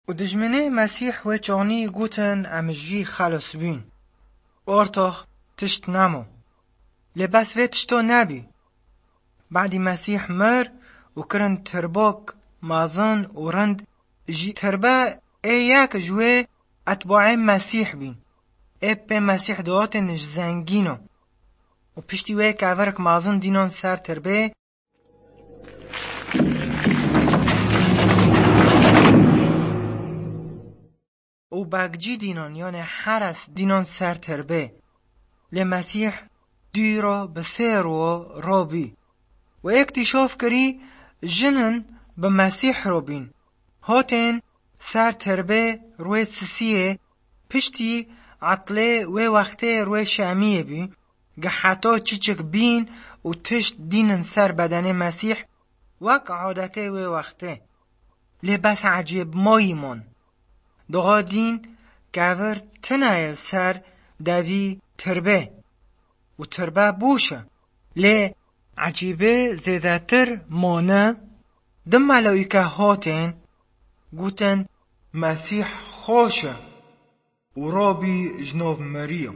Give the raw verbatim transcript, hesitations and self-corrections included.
Û dijminê Mesîh wê çaxnî gotin, em ji vî xelas bûn. Ortox tişt nemo. Lê bes vê tişto nebî. Badî Mesîh mir û kirin tirbok mezin û rind, jî tirbe ê yek ji wê etbaê Mesîh bîn. Ê pê Mesîh dihatin ji zengîno. Û piştî wê kevirek mezin dînan ser tirbê. Û bakcî dînan, yanê heres dînan ser tirbê. Lê Mesîh dûra bi sê ro rabî. Û êk tîşaf kirî jinin bi Mesîh rabîn. Hatên ser tirbê rûê sisiyê, piştî etlê wê wextê rûê şemiyê bî, gi heta çiçik bîn û tişt dînin ser bedenê Mesîh, wek adetê wê wextê. Lê bes ecêb mayî man. Diha dîn kevir tine ye ser devî tirbê û tirbe boş e. Lê ecêbê zêdetir mane, di melaîke hatên, gotin, Mesîh xweş e û rabî ji nav meriya.